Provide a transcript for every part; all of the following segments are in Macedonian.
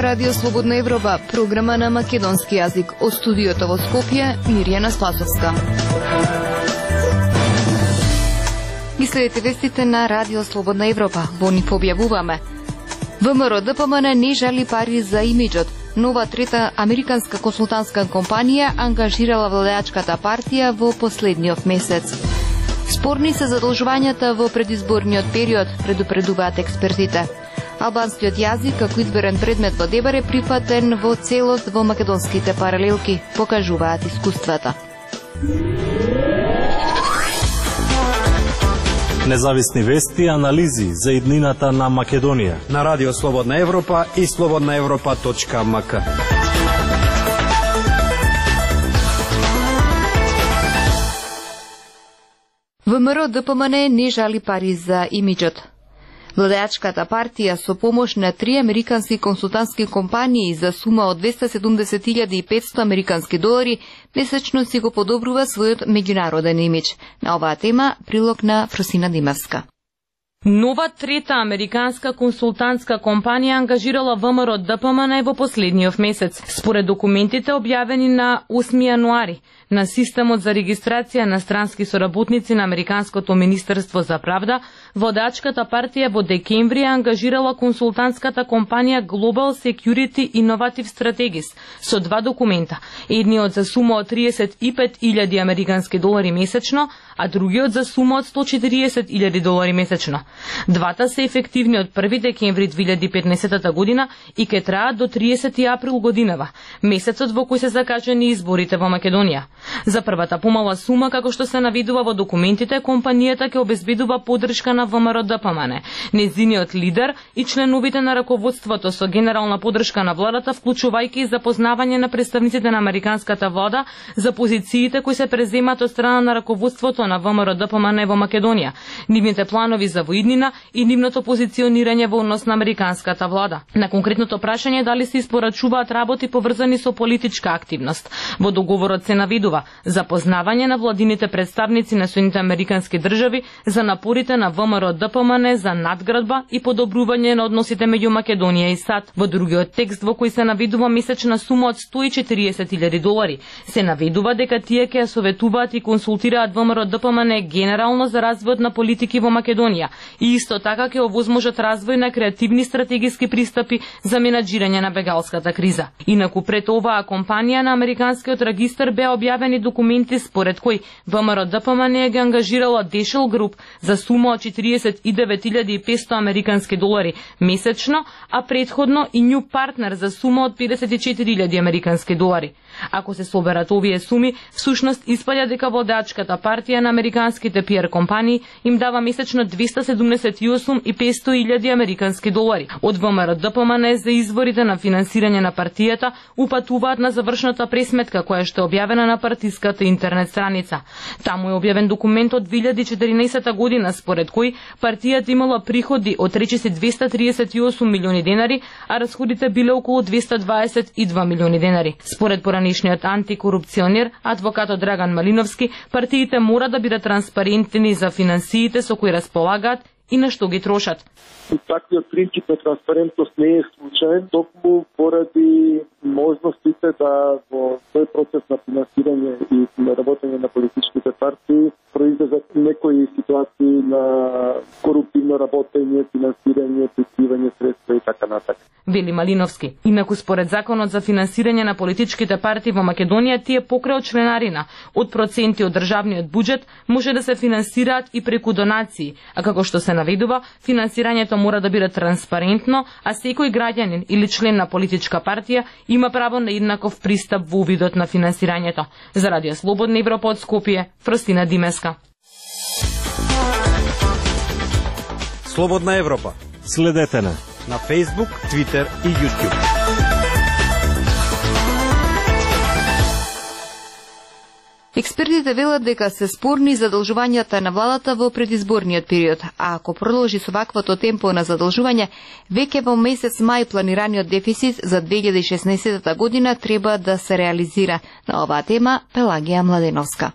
Радио Слободна Европа, програма на македонски јазик. Од студиото во Скопје, Мирјана Спасовска. Ги следите вестите на Радио Слободна Европа. Во нив објавуваме: ВМРО ДПМН не жали пари за имиджот. Нова трета американска консултантска компанија ангажирала владеачката партија во последниот месец. Спорни се задолжувањата во предизборниот период, предупредуваат експертите. Албанскиот јазик како изберен предмет во ДЕБАР е прифатен во целост во македонските паралелки, покажуваат искуствата. Независни вести и анализи за иднината на Македонија на Радио Слободна Европа и slobodnaevropa.mk. ВМРО ДПМН не жали пари за имиджот. Владеачката партија со помош на 3 американски консултантски компании за сума од 270.500 американски долари месечно си го подобрува својот меѓународен имидж. На оваа тема прилог на Фросина Димевска. Нова трета американска консултантска компанија ангажирала ВМРО ДПМН во последниот месец. Според документите објавени на 8 јануари на системот за регистрација на странски соработници на Американското министерство за правда, владеачката партија во декември ангажирала консултантската компанија Global Security Innovative Strategies со 2 документа. Едниот за сума од 35.000 американски долари месечно, а другиот за сума од 140.000 долари месечно. Двата се ефективни од 1 декември 2015 година и ке траат до 30 април годинава, месецот во кој се закажани изборите во Македонија. За првата помала сума, како што се наведува во документите, компанијата ќе обезбедува поддршка на ВМРО ДПМН, незиниот лидер и членовите на раководството со генерална поддршка на владата, вклучувајќи и запознавање на представниците на американската влада за позициите кои се преземат од страна на раководството на ВМРО ДПМН во Македонија, нивните планови за воиднина и нивното позиционирање во однос на американската влада. На конкретното прашање дали се испорачуваат работи поврзани со политичка активност, во договорот се наведува запознавање на владините представници на Соединетите американски држави за напорите на ВМРО ДПМН за надградба и подобрување на односите меѓу Македонија и САД. Во другиот текст во кој се наведува месечна сума од 140.000 долари, се наведува дека тие ќе ја советуваат и консултираат ВМРО ДПМН генерално за развојот на политики во Македонија и исто така ќе овозможат развој на креативни стратегиски пристапи за менаџирање на бегалската криза. Инаку пред оваа компанија на американскиот регистар беа објавени документи според кои ВМРО ДПМН ги ангажирала Дешел Груп за сума од 49.500 американски долари месечно, а претходно и New Partner за сума од 54.000 американски долари. Ако се соберат овие суми, всушност испаѓа дека владеачката партија на американските PR компании им дава месечно 278.500 американски долари. Од ВМРО ДПМН за изворите на финансирање на партијата упатуваат на завршната пресметка која што е објавена на партиската интернет страница. Таму е објавен документ од 2014 година според кој партијата имала приходи од речиси 238 милиони денари, а расходите биле околу 222 милиони денари. Според поранешниот антикорупционер, адвокатот Драган Малиновски, партиите мора да бидат транспарентни за финансиите со кои располагаат и на што ги трошат. Таквиот принцип на транспарентност не е случаен, токму поради можностите да во тој процес на финансирање и на работење на политичките партии произлезат некои ситуации на коруптивно работење, финансирање, прикривање средства и така натаму. Вели Малиновски. Инаку според законот за финансирање на политичките партии во Македонија, тие покрај членарина од проценти од државниот буџет може да се финансираат и преку донации, а како што се наведува, финансирањето мора да биде транспарентно, а секој граѓанин или член на политичка партија има право на еднаков пристап во видот на финансирањето. За Радио Слободна Европа од Скопје, Фростина Димеска. Слободна Европа. Следете на Facebook, Twitter и YouTube. Експертите велат дека се спорни задолжувањата на владата во предизборниот период, а ако продолжи со ваквото темпо на задолжување, веќе во месец мај планираниот дефицит за 2016 година треба да се реализира. На оваа тема Пелагија Младеновска.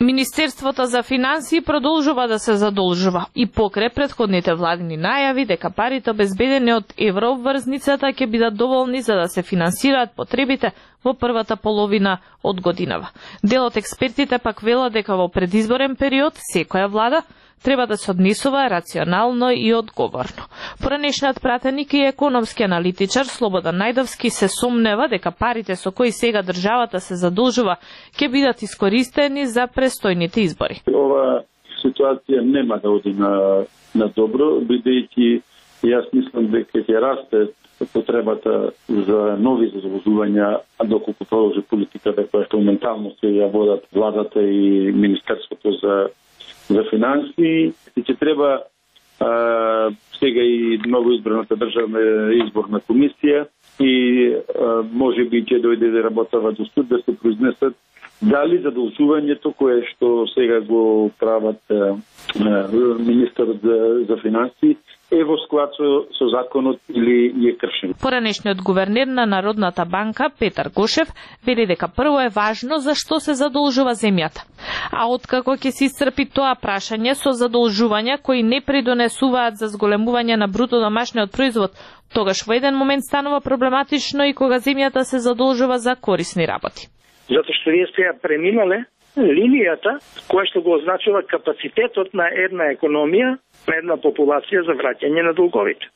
Министерството за финансии продолжува да се задолжува и покрај претходните владини најави дека парите обезбедени од еврообврзницата ќе бидат доволни за да се финансираат потребите во првата половина од годинава. Дел од експертите пак велат дека во предизборен период секоја влада треба да се однесува рационално и одговорно. Поранешниот пратеник и економски аналитичар Слободан Најдовски се сомнева дека парите со кои сега државата се задолжува ќе бидат искористени за престојните избори. Ова ситуација нема да оди на добро, бидејќи јас мислам дека ќе расте потребата за нови задолжувања, а доколку продолжи политиката која што моментално се ја водат владата и Министерството за финансии, и ќе треба сега и новоизбраната државна изборна комисија и може би ќе дојде да работава до суд да се произнесат дали задолжувањето кое што сега го прават министерот за финансии е во склад со законот или е кршен. Поранешниот гувернер на Народната банка Петар Гошев вели дека прво е важно за што се задолжува земјата. А откако ќе се исцрпи тоа прашање со задолжувања кои не придонесуваат за зголемување на бруто домашниот производ, тогаш во еден момент станува проблематично и кога земјата се задолжува за корисни работи. Затоа што вие сте ја преминале линијата која што го означува капацитетот на една економија, на една популација за враќање на долговите.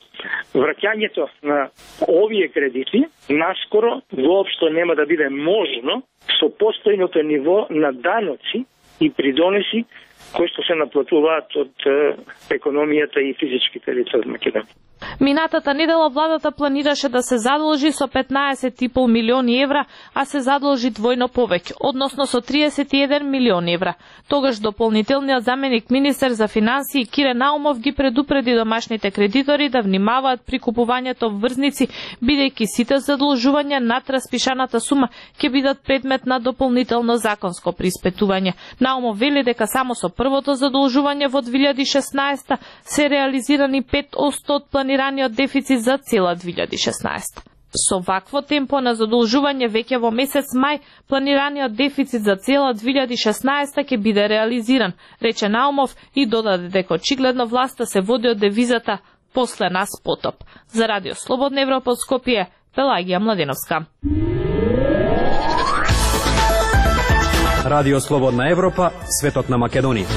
Враќањето на овие кредити наскоро воопшто нема да биде можно со постојното ниво на даноци и придонеси кои што се наплатуваат од економијата и физичките лица од Македонија. Минатата недела владата планираше да се задолжи со 15,5 милиони евра, а се задолжи двојно повеќе, односно со 31 милиони евра. Тогаш дополнителниот заменик министер за финансии Кире Наумов ги предупреди домашните кредитори да внимаваат при купувањето обврзници, бидејќи сите задолжувања над распишаната сума ќе бидат предмет на дополнително законско приспетување. Наумов вели дека само со првото задолжување во 2016 се реализирани 5% од планираниот дефицит за цела 2016. Со вакво темпо на задолжување веќе во месец мај, планираниот дефицит за цела 2016 ќе биде реализиран, рече Наумов и додаде дека очигледно власта се води од девизата "После нас потоп". За Радио Слободна Европа од Скопје, Пелагија Младеновска. Радио Слободна Европа, светот на Македонија.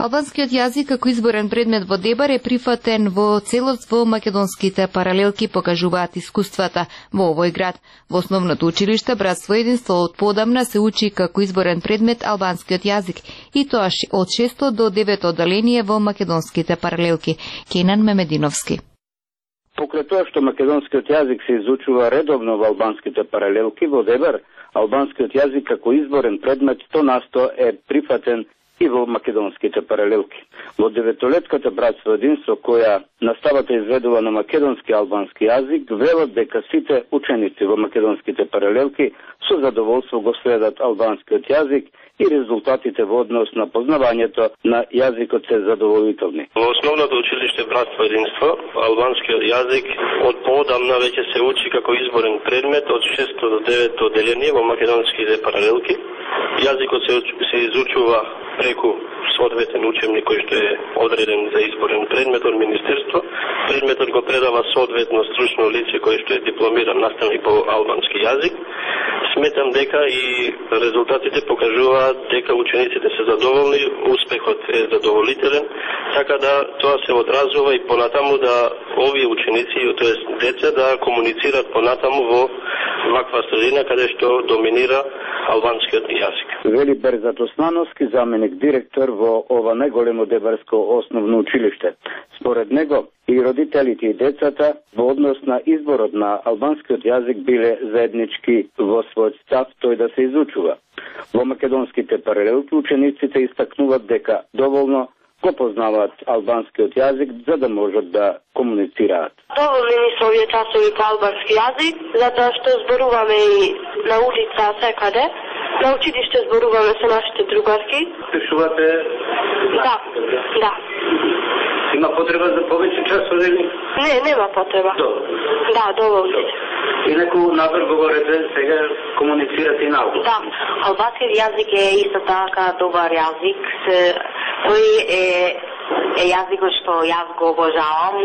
Албанскиот јазик како изборен предмет во Дебар е прифатен во целост во македонските паралелки, покажуваат искуствата во овој град. Во основното училиште Братство единство од подамна се учи како изборен предмет албанскиот јазик, и тоа од 6 до 9 одделение во македонските паралелки. Кенан Мемединовски. Покрај тоа што македонскиот јазик се изучува редовно во албанските паралелки во Дебар, албанскиот јазик како изборен предмет 100% е прифатен и во македонските паралелки. Во деветолетката Братство единство, која наставата изведува на македонски и албански јазик, велат дека сите ученици во македонските паралелки со задоволство го следат албанскиот јазик и резултатите во однос на познавањето на јазикот се задоволителни. Во основното училиште Братство единство, албанскиот јазик од поодамна веќе се учи како изборен предмет од 6 до 9 одделение во македонските паралелки. Јазикот се изучува преку соодветен учебник кој што е одреден за изборен предмет од Министерство. Предметот го предава соодветно стручно лице кој што е дипломиран наставник по албански јазик. Сметам дека и резултатите покажуваат дека учениците се задоволни, успехот е задоволителен, така да тоа се одразува и понатаму да овие ученици, тоест деца, да комуницираат понатаму во ваква средина каде што доминира албанскиот јазик. Вели Берзат Османовски, заменик директор во ова најголемо дебарско основно училиште. Според него и родителите и децата во однос на изборот на албанскиот јазик биле заеднички во својот став тој да се изучува. Во македонските паралелки учениците истакнуваат дека доволно го познаваат албанскиот јазик за да можат да комуницираат. Доволни ми се овие часови по албански јазик, затоа што зборуваме и на улица секаде. На училиште зборуваме со нашите другарки. Пишувате? Да. Има потреба за повеќе часови или? Не, нема потреба. Добро. Да, доволни. И некој напор говорите сега комуницирате комуницирате на албански? Да, албанскиот јазик е исто така добар јазик. Тој е јазикот што јас го обожавам,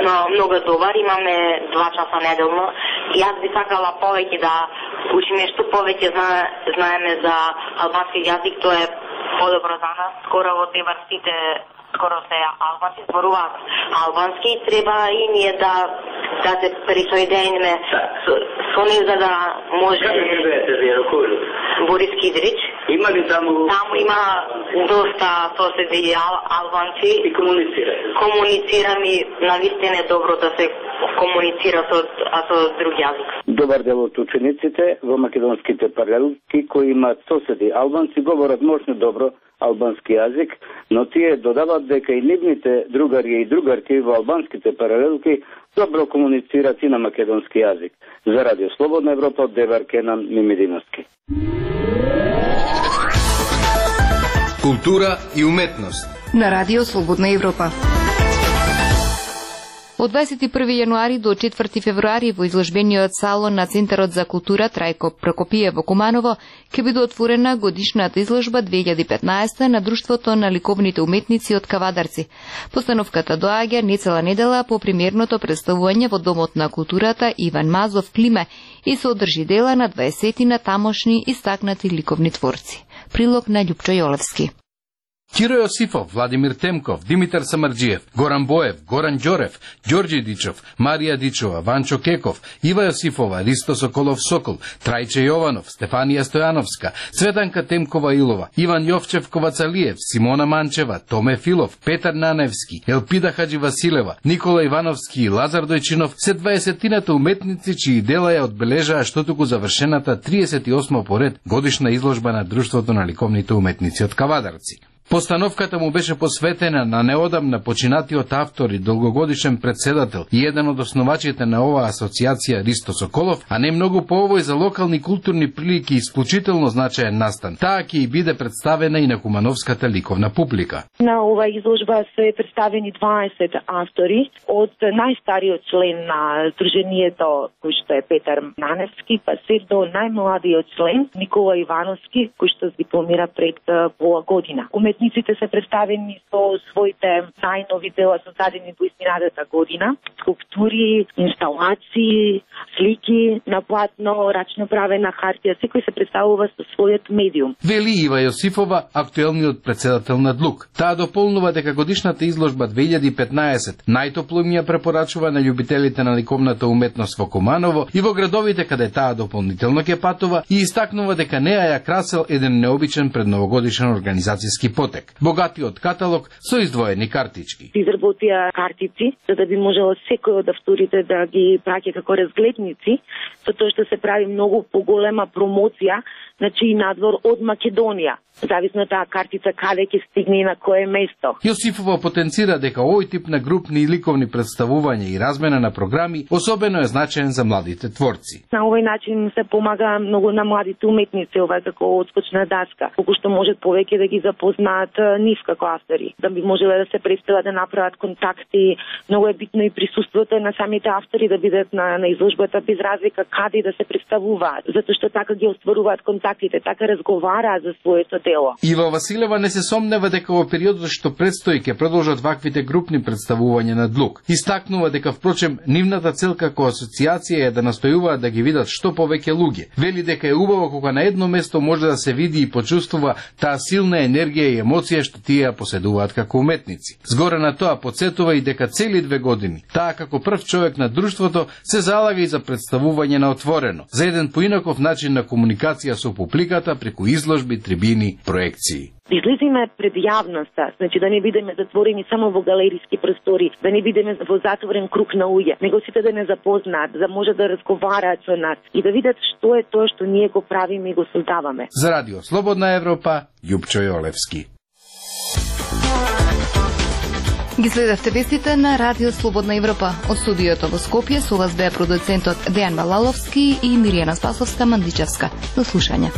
но многу добар, имаме 2 часа неделно. Јас би сакала повеќе да учиме што повеќе знаеме за албански јазик, тоа е подобро за нас. Скоро во Дебар сите скоро се албанци зборуваат албански, треба и ние да се присоединиме со нив за да може. Каде живеете вие, кој? Борис Кидрич. Има ли таму? Таму има доста соседи албанци. И комуницирате? Комуницирам и навистина е добро да се комуницира со друг јазик. Добар дел од учениците во македонските паралелки кои имаат соседи албанци говорат мощно добро албански јазик, но тие додават дека и нивните другари и другарки во албанските паралелки добро комуницираат и на македонски јазик. За Радио Слободна Европа од Девар Кенан Мимединовски. Култура и уметност на Радио Слободна Европа. Од 21. јануари до 4. февруари во изложбениот салон на Центарот за култура Трајко Прокопиев во Куманово ќе биде отворена годишната изложба 2015 на Друштвото на ликовните уметници од Кавадарци. Постановката доаѓа нецела недела по премиерното представување во Домот на културата Иван Мазов Климе и се одржи дела на 20 на тамошни истакнати ликовни творци. Прилог на Љупчо Јолевски. Киро Јосифов, Владимир Темков, Димитар Самарџиев, Горан Боев, Горан Ѓорев, Ѓорѓе Дичов, Марија Дичова, Ванчо Кеков, Ива Јосифова, Ристо Соколов Сокол, Трајче Јованов, Стефанија Стојановска, Цветанка Темкова Илова, Иван Јовчев Ковацалиев, Симона Манчева, Томе Филов, Петар Наневски, Елпида Хаджи Василева, Никола Ивановски и Лазар Дојчинов се 20-тината уметници чии дела ја одбележаа штотуку завршената 38 поред годишна изложба на Друштвото на ликовните уметници од Кавадарци. Постановката му беше посветена на неодамна починатиот автор и долгогодишен председател и еден од основачите на оваа асоциација Ристо Соколов, а не многу по овој за локални културни прилики исклучително значаен настан. Таа ќе и биде представена и на кумановската ликовна публика. На оваа изложба се представени 20 автори од најстариот член на Сдруженијето, кој што е Петар Наневски, па се до најмладиот член Никола Ивановски, кој што дипломира пред пола година. Уметниците се представени со своите најнови дела создадени во изминатата година, скулптури, инсталации, слики на платно, рачно правена хартија, секој се представува со својот медиум. Вели Ива Јосифова, актуелниот председател на ДЛУК. Таа дополнува дека годишната изложба 2015 најтопло им ја препорачува на љубителите на ликовната уметност во Куманово и во градовите каде таа дополнително ќе патува и истакнува дека неа ја красел еден необичен предновогодишен организацијски потек. Богатиот каталог со издвоени картички. Изработија картици, за да би можело секој од авторите да ги праќа како разгледници, со тоа што се прави многу поголема промоција, значи и надвор од Македонија. Зависно таа картица каде ќе стигне и на кое место. Јосифова потенцира дека овој тип на групни и ликовни представувања и размена на програми особено е значаен за младите творци. На овој начин се помага многу на младите уметници, ова како отскочна даска, колку што можат повеќе да ги запознаат нив како автори, да би можеле да се представат, да направат контакти. Многу е битно и присуството на самите автори да бидат на изложбата без разлика каде да се представуваат, затоа што така ги остваруваат контактите, така разговараат за своето дело. Ива Василева не се сомнева дека во периодот што предстои ќе продолжат ваквите групни представувања на ДЛУК. Истакнува дека впрочем нивната цел како асоциација е да настојуваат да ги видат што повеќе луѓе. Вели дека е убаво кога на едно место може да се види и почувствува таа силна енергија и емоција што тие ја поседуваат како уметници. Згоре на тоа потсетува и дека цели 2 години таа како прв човек на друштвото се залага и за представување на отворено, за еден поинаков начин на комуникација со публиката преку изложби, трибини, проекции. Излезиме пред јавноста, значи да не бидеме затворени само во галериски простори, да не бидеме во затворен круг на луѓе, него сите да не запознаат, да може да разговараат со нас и да видат што е тоа што ние го правиме и го создаваме. За Радио Слободна Европа, Љупчо Јолевски. Ги следавте вестите на Радио Слободна Европа. Од студиото во Скопје со вас беа продуцентот Дејан Балаловски и Миријана Спасовска-Мандичевска. До слушање.